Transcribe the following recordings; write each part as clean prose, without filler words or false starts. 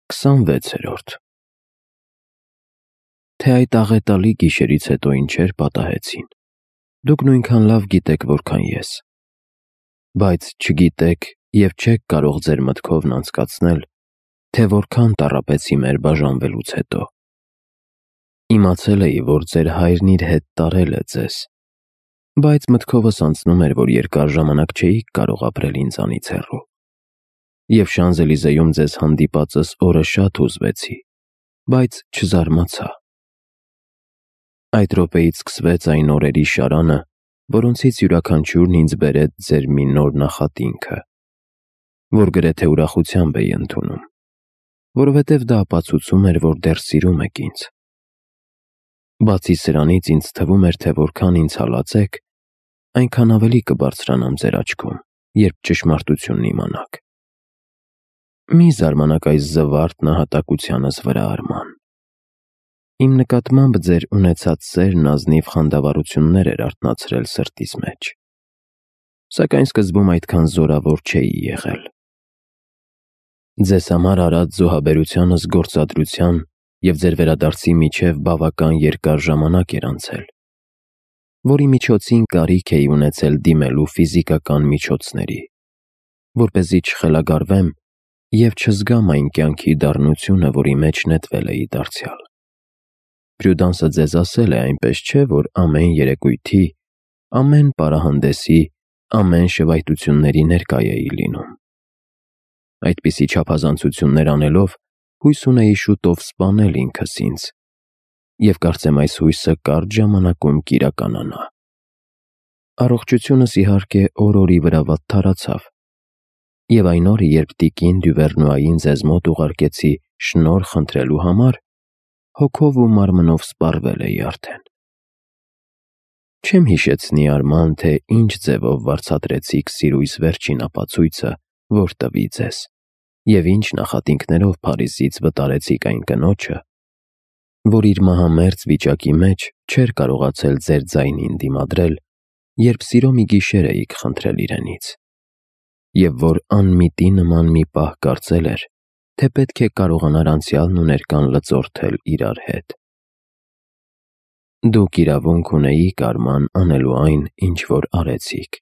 26-րդ Թե այդ աղետալի գիշերից հետո ինչեր պատահեցին, դուք նույնքան լավ գիտեք, որքան ես, բայց չգիտեք և չեք կարող ձեր մտքովն անցկացնել, թե որքան տառապեցի մեր բաժանվելուց հետո։ Իմացել էի, որ ձեր հայրն իր հետ տարել է ձեզ, բայց մտքովս անցնում էր, որ երկար ժամանակ չէիք կարող ապրել ինձանից հեռու։ Եվ Շանզելիզեում ձեզ հանդիպածս օրը շատ հուզվեցի, բայց չզարմացա։ Այդ րոպեից սկսվեց այն օրերի շարանը, որոնցից յուրաքանչյուրն ինձ բերեց ձեր մի նոր նախատինքը, որ գրեթե ուրախությամբ էի ընդունում, որովհետև դա ապացուցում էր, որ դեռ սիրում եք ինձ։ Բացի սրանից ինձ թվում էր, թե որքան ինձ հալածեք, այնքան ավելի կբարձրանամ ձեր աչքում, երբ ճշմարտությունն իմանաք։ Մի զարմանաք այս զվարթ նահատակությանս վրա, Արման։ Իմ նկատմամբ ձեր ունեցած սերն ազնիվ խանդավառություններ էր արթնացրել սրտիս մեջ, սակայն սկզբում այդքան զորավոր չէի եղել։ Ձեզ համար արած զոհաբերությանս գործադրության և ձեր վերադարձի միջև բավական երկար ժամանակ էր անցել, որի միջոցին կարիք էի ունեցել դիմելու ֆիզիկական միջոցների, որպեսզի չխելագարվեմ և չզգամ այն կյանքի դառնությունը, որի մեջ նետվել էի դարձյալ։ Պրյուդանսը ձեզ ասել է, այնպես չէ, որ ամեն երեկույթի, ամեն պարահանդեսի, ամեն շվայտությունների ներկա էի լինում։ Այդպիսի չափազանցություններ անելով, հույս ունեի շուտով սպանել ինքս ինձ, և կարծեմ այս հույսը կարճ ժամանակում կիրականանա։ Առողջությունս իհարկե օր-օրի վրա վատթարացավ, և այն օրը, երբ տիկին Դյուվերնուային ձեզ մոտ ուղարկեցի շնորհ խնդրելու համար, հոգով ու մարմնով սպառվել էի արդեն։ Չեմ հիշեցնի, Արման, թե ինչ ձևով վարձատրեցիք սիրույս վերջին ապացույցը, որ տվի ձեզ, և ինչ նախատինքներով Փարիզից վտարեցիք այն կնոջը, որ իր մահամերձ վիճակի մեջ չէր կարողացել ձեր ձայնին դիմադրել, երբ սիրո մի գիշեր էիք խնդրել իրենից, և որ անմիտի նման մի պահ կարծել էր, թե պետք է կարողանար անցյալն ու ներկան լծորթել իրար հետ։ Դուք իրավունք ունեիք, Արման, անելու այն, ինչ որ արեցիք։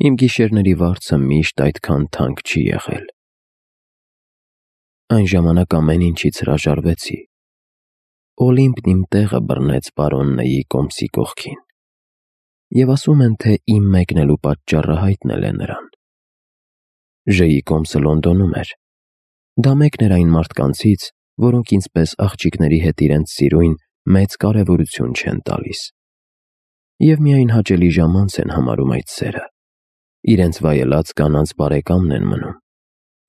Իմ գիշերների վարձը միշտ այդքան թանկ չի եղել։ Այն ժամանակ ամեն ինչից հրաժարվեցի։ Օլիմպն իմ տեղը բռնեց պարոն Նեյի կոմսի կողքին, և ասում են, թե իմ մեկնելու պատճառը հայտնել է նրան։ Ժեյի կոմսը Լոնդոնում էր։ Դա մեկն էր այն մարդկանցից, որոնք ինձ պես աղջիկների հետ իրենց սիրույն մեծ կարևորություն չեն տալիս, և միայն հաճելի ժամանց են համարում այդ սերը, իրենց վայելած կանանց բարեկամն են մնում,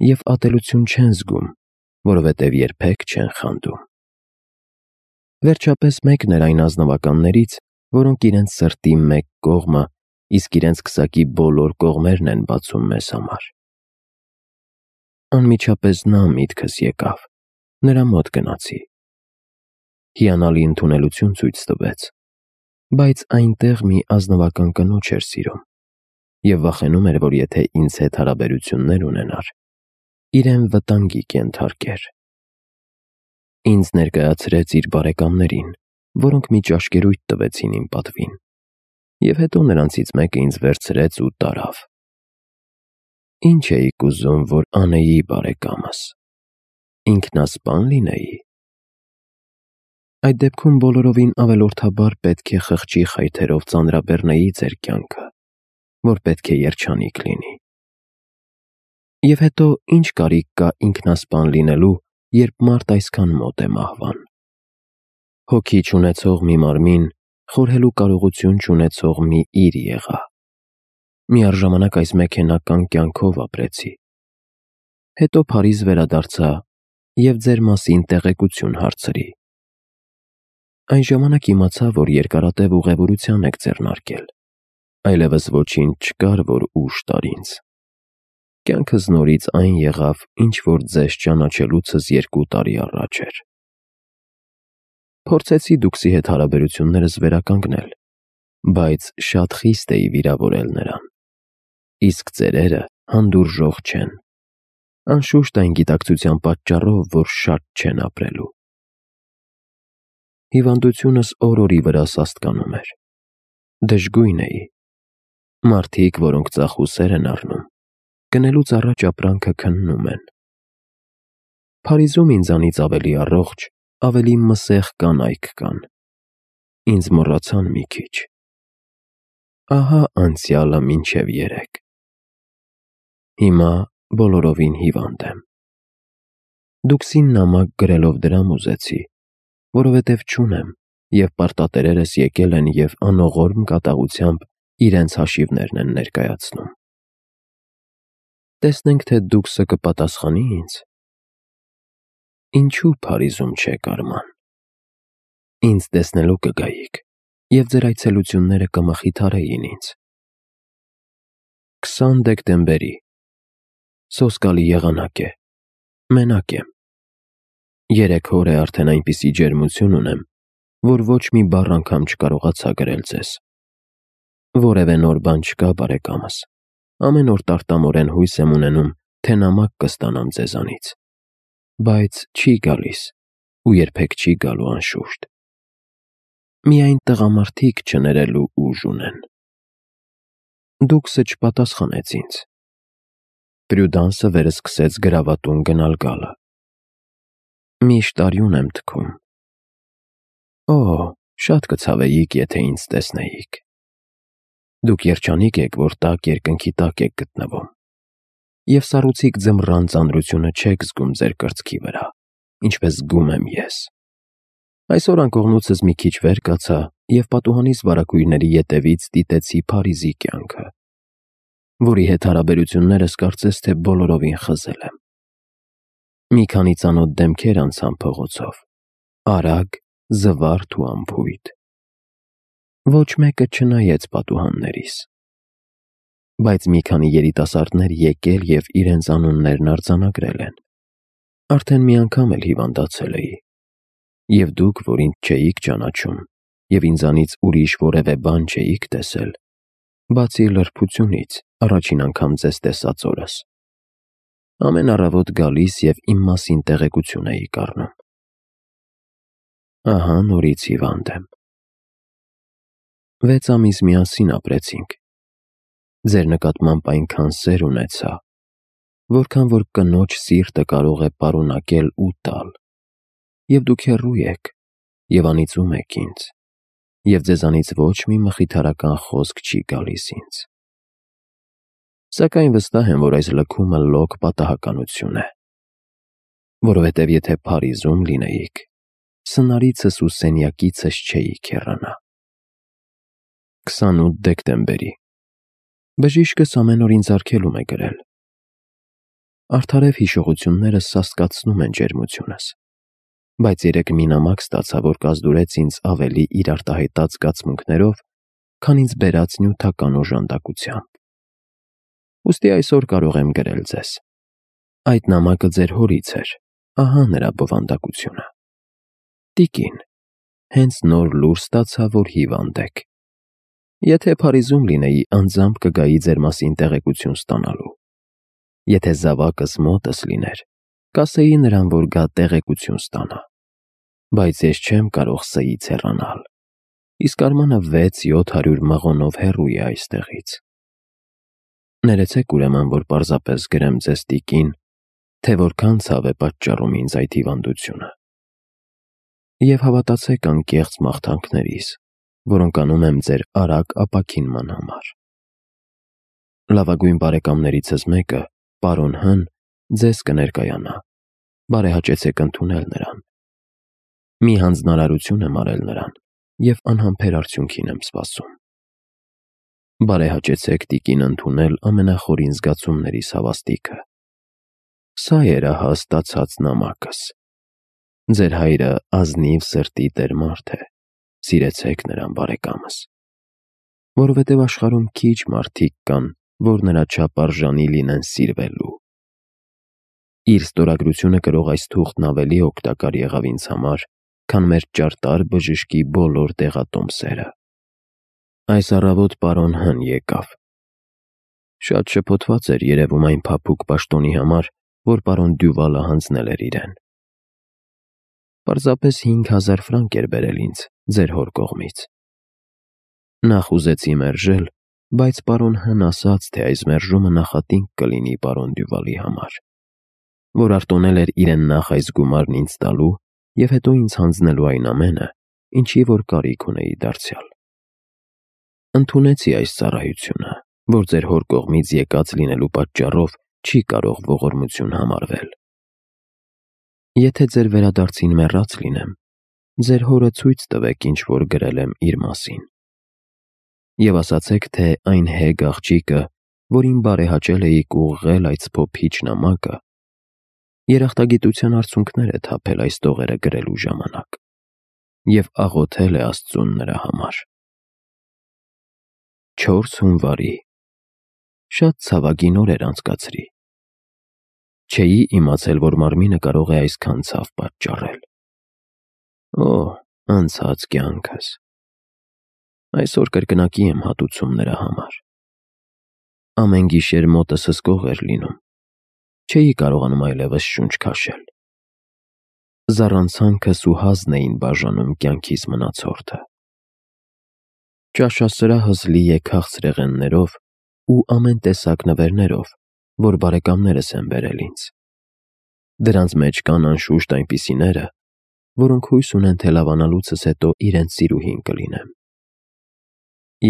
և ատելություն չեն զգում, որովհետև երբեք չեն խանդում։ Վերջապես մեկն էր այն ազնվականներից, որոնք իրենց սրտի մեկ կողմը, իսկ իրենց քսակի բոլոր կողմերն են բացում մեզ համար։ Անմիջապես նա միտքս եկավ, նրա մոտ գնացի։ Հիանալի ընդունելություն ցույց տվեց, բայց այնտեղ մի ազնվական կնոջ էր սիրում, և վախենում էր, որ եթե ինձ հետ հարաբերություններ ունենար, իրեն վտանգի կենթարկեր։ Ինձ ներկայացրեց իր բարեկամներին, որոնք մի ճաշկերույթ տվեցին իմ պատվին, և հետո նրանցից մեկը ինձ վերցրեց ու տարավ։ Ինչ էիք ուզում, որ անեի, բարեկամս, ինքնասպան լինեի։ Այդ դեպքում բոլորովին ավելորդաբար պետք է խղճի խայթերով ծանրաբեռնեի ձեր կյանքը, որ պետք է երջանիկ լինի։ Եվ հետո ինչ կարիք կա ինքնասպան լինելու, երբ մարդ այսքան մոտ է մահվան։ Հոգի չունեցող մի մարմին խորհելու կարողություն չունեցող մի իր եղա։ Միառժամանակ այս մեքենական կյանքով ապրեցի։ Հետո Փարիզ վերադարձա և ձեր մասին տեղեկություն հարցրի։ Այն ժամանակ իմացա, որ երկարատև ուղևորության եք ձեռնարկել, այլևս ոչինչ չկար, որ ուժ տար ինձ։ Կյանքս նորից այն եղավ, ինչ որ ձեզ ճանաչելուցս 2 տարի առաջ էր։ Փորձեցի դուքսի հետ հարաբերություններս վերականգնել, բայց շատ խիստ էի վիրավորել նրան, իսկ ծերերը հանդուրժող չեն։ Անշուշտ այն գիտակցության պատճառով, որ շատ չեն ապրելու։ Հիվանդությունս օր-օրի վրա սաստկանում էր։ Դժգույն էի։ Մարդիկ, որոնք ծախուսեր են առնում, գնելուց առաջ ապրանքը քննում են։ Փարիզում ինձանից ավելի առողջ, ավելի մսեղ կանայք կան։ Ինձ մոռացան մի քիչ։ Ահա անցյալը մինչև երեկ։ Հիմա բոլորովին հիվանդ եմ։ Դուքսին նամակ գրելով դրամ ուզեցի, որովհետև չունեմ, և պարտատերերս եկել են և անողորմ կատաղությամբ իրենց հաշիվներն են ներկայացնում։ Տեսնենք, թե դուքսը կպատասխանի ինձ։ Ինչու Փարիզում չեք, Արման։ Ինձ տեսնելու կգայիք, և ձեր այցելությունները կմխիթարեին ինձ։ 20 դեկտեմբերի։ Սոսկալի եղանակ է։ Մենակ եմ։ 3 օր է արդեն այնպիսի ջերմություն ունեմ, որ ոչ մի բառ անգամ չկարողացա գրել ձեզ։ Որևէ նոր բան չկա, բարեկամս։ Ամեն օր տարտամորեն հույս եմ ունենում, թե նամակ կստանամ ձեզանից։ Բայց չի գալիս, ու երբեք չի գալու անշուշտ։ Միայն տղամարդիկ չներելու ուժ ունեն։ Դուքսը չպատասխանեց ինձ։ Պրյուդանսը վերսկսեց գրավատուն գնալ գալը։ Միշտ արյուն եմ թքում։ Օ, շատ կցավեիք, եթե ինձ տեսնեիք։ Դուք երջանիկ եք, որ տաք երկնքի տակ եք գտնվում, և սառուցիկ ձմռան ծանրությունը չեք զգում ձեր կրծքի վրա, ինչպես զգում եմ ես։ Այսօր անկողնուցս մի քիչ վեր կացա և պատուհանիս վարագույրների ետևից դիտեցի Փարիզի կյանքը, որի հետ հարաբերություններս կարծես թե բոլորովին խզել եմ։ Մի քանի ծանոթ դեմքեր անցան փողոցով, արագ, զվարթ ու անփույթ։ Ոչ մեկը չնայեց պատուհաններիս։ Բայց մի քանի երիտասարդներ եկել և իրենց անուններն արձանագրել են։ Արդեն մի անգամ էլ հիվանդացել էի։ Եվ դուք, որ ինձ չէիք ճանաչում, և ինձանից ուրիշ որևէ բան չէիք տեսել, բացի լրբությունից, առաջին անգամ ձեզ տեսած օրս, ամեն առավոտ գալիս և իմ մասին տեղեկություն էիք առնում։ Ահա նորից հիվանդ եմ։ 6 ամիս միասին ապրեցինք։ Ձեր նկատմամբ այնքան սեր ունեցա, որքան որ կնոջ սիրտը կարող է պարունակել ու տալ, և դուք հեռու եք, և անիծում եք ինձ, և ձեզանից ոչ մի մխիթարական խոսք չի գալիս ինձ։ Սակայն վստահ եմ, որ այս լքումը լոկ պատահականություն է, որովհետև եթե Փարիզում լինեիք, սնարիցս ու սենյակիցս չէիք հեռանա։ 28 դեկտեմբերի։ Բժիշկս ամեն օր ինձ արգելում է գրել։ Արդարև հիշողություններս սաստկացնում են ջերմությունս, բայց երեկ մի նամակ ստացա, որ կազդուրեց ինձ ավելի իր արտահայտած զգացմունքներով, քան ինձ բերած նյութական օժանդակությամբ։ Ուստի այսօր կարող եմ գրել ձեզ։ Այդ նամակը ձեր հորից էր, ահա նրա բովանդակությունը։ Տիկին, հենց նոր լուր ստացա, որ հիվանդ եք։ Եթե Փարիզում լինեի, անձամբ կգայի ձեր մասին տեղեկություն ստանալու։ Եթե զավակս մոտս լիներ, կասեի նրան, որ գա տեղեկություն ստանա։ Բայց ես չեմ կարող սեից հեռանալ, իսկ Արմանը 600-700 մղոնով հեռու է այստեղից։ Ներեցեք ուրեմն, որ պարզապես գրեմ ձեզ, տիկին, թե որքան ցավ է պատճառում ինձ այդ հիվանդությունը։ Եվ հավատացեք անկեղծ մաղթանքներիս, որոնք անում եմ ձեր արագ ապաքինման համար։ Լավագույն բարեկամներիցս մեկը, պարոն Հ-ն, ձեզ կներկայանա, բարեհաճեցեք ընդունել նրան։ Մի հանձնարարություն եմ արել նրան, և անհամբեր արդյունքին եմ սպասում։ Բարեհաճեցեք տիկին ընդունել ամենախորին զգացումներիս հավաստիքը։ Սա էր ահա ստացած նամակս։ Ձեր հայրը ազնիվ սրտի տեր մարդ է, սիրեցեք նրան, բարեկամս, որովհետև աշխարհում քիչ մարդիկ կան, որ նրա չափ արժանի լինեն սիրվելու։ Իր ստորագրությունը կրող այս թուղթն ավելի օգտակար եղավ ինձ համար, քան մեր ճարտար բժշկի բոլոր դեղատոմսերը։ Այս առավոտ պարոն Հ-ն եկավ։ Շատ շփոթված էր երևում այն փափուկ պաշտոնի համար, որ պարոն Դյուվալը հանձնել էր իրեն։ Պարզապես 5000 ֆրանկ էր բերել ինձ ձեր հոր կողմից։ Նախ ուզեցի մերժել, բայց պարոն Հ-ն ասաց, թե այս մերժումը նախատինք կլինի պարոն Դյուվալի համար, որ արտոնել էր իրեն նախ այս գումարն ինձ տալու և հետո ինձ հանձնելու այն ամենը, ինչի որ կարիք ունեի դարձյալ։ Ընդունեցի այս ծառայությունը, որ ձեր հոր կողմից եկած լինելու պատճառով չի կարող ողորմություն համարվել։ Եթե ձեր վերադարձին մեռած լինեմ, ձեր հորը ցույց տվեք ինչ որ գրել եմ իր մասին։ Եվ ասացեք, թե այն հեգ աղջիկը, որին բարեհաճել էիք ուղղել այդ սփոփիչ նամակը, երախտագիտության արցունքներ է թափել այս տողերը գրելու ժամանակ և աղոթել է Աստծուն նրա համար։ 4 հունվարի։ Շատ ցավագին օրեր անցկացրի։ Չէի իմացել, որ մարմինը կարող է այսքան ցավ պատճառել։ Օ, անցած կյանքս։ Այսօր կրկնակի եմ հատուցում նրա համար։ Ամեն գիշեր մոտս հսկող էր լինում։ Չէի կարողանում այլևս շունչ քաշել։ Զառանցանքս ու հազն էին բաժանում կյանքիս մնացորդը։ Ճաշասրահս լի է քաղցրեղեններով ու ամեն տեսակ նվերներով, որ բարեկամներս են բերել ինձ։ Դրանց մեջ կան անշուշտ այնպիսիները, որոնք հույս ունեն, թե լավանալուցս հետո իրենց սիրուհին կլինեմ։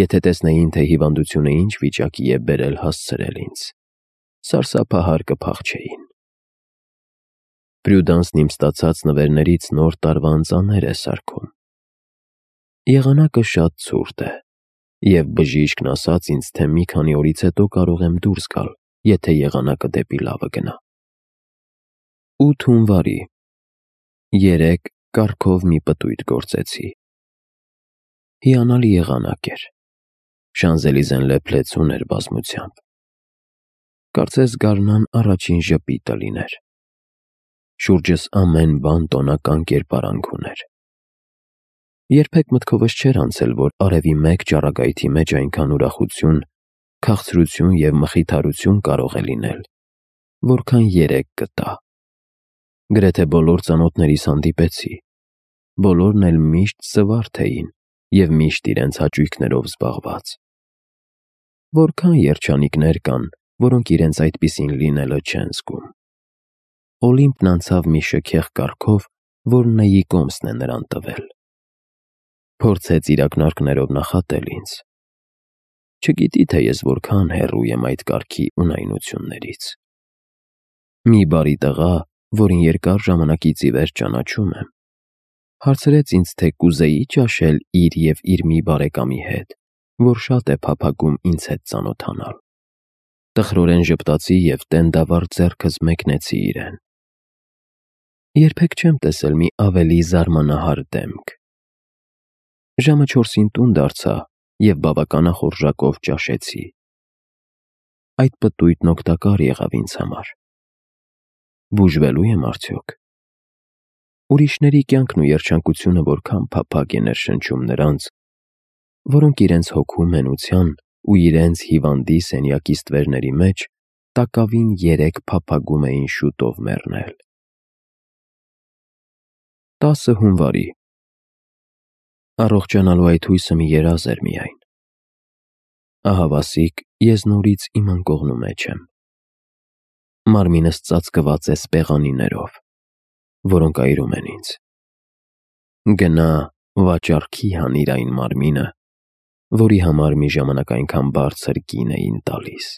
Եթե տեսնեին, թե հիվանդությունը ինչ վիճակի է բերել հասցրել ինձ, սարսափահար կփախչեին։ Պրյուդանսն իմ ստացած նվերներից նոր տարվա ընծաներ է սարքում։ Եղանակը շատ ցուրտ է, և բժիշկն ասաց ինձ, թե մի քանի օրից հետո կարող եմ դուրս գալ, եթե եղանակը դեպի լավը գնա։ 8 հունվարի։ Երեկ կառքով մի պտույտ գործեցի։ Հիանալի եղանակ էր։ Շանզելիզեն լեփլեցուն էր բազմությամբ։ Կարծես գարնան առաջին ժպիտը լիներ։ Շուրջս ամեն բան տոնական կերպարանք ուներ։ Երբեք մտքովս չէր անցել, որ արևի մեկ ճառագայթի մեջ այնքան ուրախություն, քաղցրություն և մխիթարություն կարող է լինել, որքան երեկ գտա։ Գրեթե բոլոր ծանոթներիս հանդիպեցի, բոլորն էլ միշտ զվարթ էին և միշտ իրենց հաճույքներով զբաղված։ Որքան երջանիկներ կան, որոնք իրենց այդպիսին լինելը չեն զգում։ Օլիմպն անցավ մի շքեղ կառքով, որ Նեի կոմսն է նրան տվել։ Փորձեց իր ակնարկներով նախատել ինձ։ Չգիտի, թե ես որքան հեռու եմ այդ կառքի ունայնություններից։ Մի բարի տղա, որին երկար ժամանակից ի վեր ճանաչում եմ, հարցրեց ինձ, թե կուզեի ճաշել իր և իր մի բարեկամի հետ, որ շատ է փափագում ինձ հետ ծանոթանալ։ Տխրորեն ժպտացի և տենդավառ ձեռքս մեկնեցի իրեն։ Երբեք չեմ տեսել մի ավելի զարմանահար դեմք։ Ժամը 4-ին տուն դարձա և բավականախորժակով ճաշեցի։ Այդ պտույտն օգտակար եղավ ինձ համար։ Բուժվելու եմ արդյոք։ Ուրիշների կյանքն ու երջանկությունը որքան փափագ է ներշնչում նրանց, որոնք իրենց հոգու մենության ու իրենց հիվանդի սենյակի ստվերների մեջ տակավին 3 փափագում էին շուտով մեռնել։ 10 հունվարի։ Առողջանալու այդ հույսը մի երազ էր միայն։ Ահավասիկ, ես նորից իմ անկողնու մեջ եմ։ Մարմինս ծածկված է սպեղանիներով, որոնք այրում են ինձ։ Գնա, վաճառքի հանիր այն մարմինը, որի համար մի ժամանակ այնքան բարձր կին էին տալիս,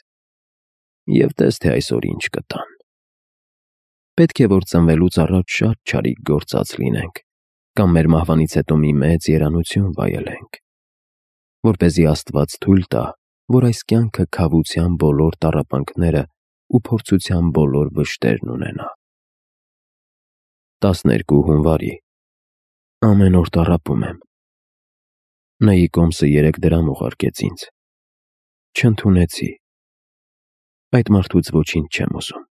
և տես, թե այսօր ինչ կտան։ Պետք է, որ ծնվելուց առաջ շատ չարիք գործած լինենք, կամ մեր մահվանից հետո մի մեծ երանություն վայելենք, որպեսզի Աստված թույլ տա, որ այս կյանքը քավության բոլոր տառապանքները ու փորձության բոլոր վշտերն ունենա։ 12 հունվարի։ Ամեն օր տառապում եմ։ Նեի կոմսը 3 դրամ ուղարկեց ինձ։ Չընդունեցի։ Այդ մարդուց ոչինչ չեմ ուզում։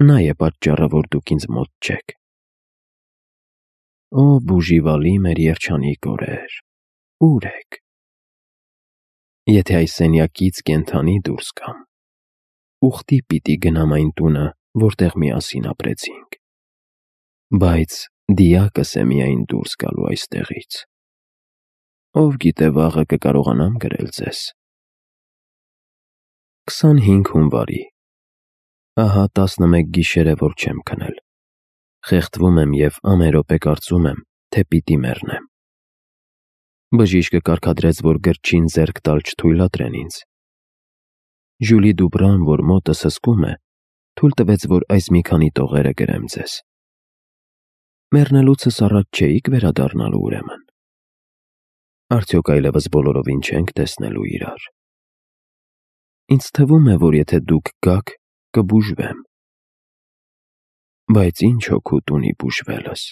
Նա է պատճառը, որ դուք ինձ մոտ չեք։ Օ, բուժիվալի մեր երջանիկ օրեր, ո՞ւր եք։ Եթե այս սենյակից կենդանի դուրս գամ, ուխտի պիտի գնամ այն տունը, որտեղ միասին ապրեցինք։ Բայց դիակս է միայն դուրս գալու այստեղից։ Ով գիտե վաղը կկարողանամ գրել ձեզ։ 25 հունվարի։ Ահա 11 գիշեր է, որ չեմ քնել։ Խեղդվում եմ և ամեն րոպե կարծում եմ, թե պիտի մեռնեմ։ Բժիշկը կարգադրեց, որ գրչին ձեռք տալ չթույլատրեն ինձ։ Ժյուլի Դուբրան, որ մոտս հսկում է, թույլ տվեց, որ այս մի քանի տողերը գրեմ ձեզ։ Մեռնելուցս առաջ չէիք վերադառնալու ուրեմն։ Արդյոք այլևս բոլորովին չենք տեսնելու իրար։ Ինձ թվում է, որ եթե դուք գաք, կբուժվեմ։ Բայց ինչ օգուտ ունի բուժվելս։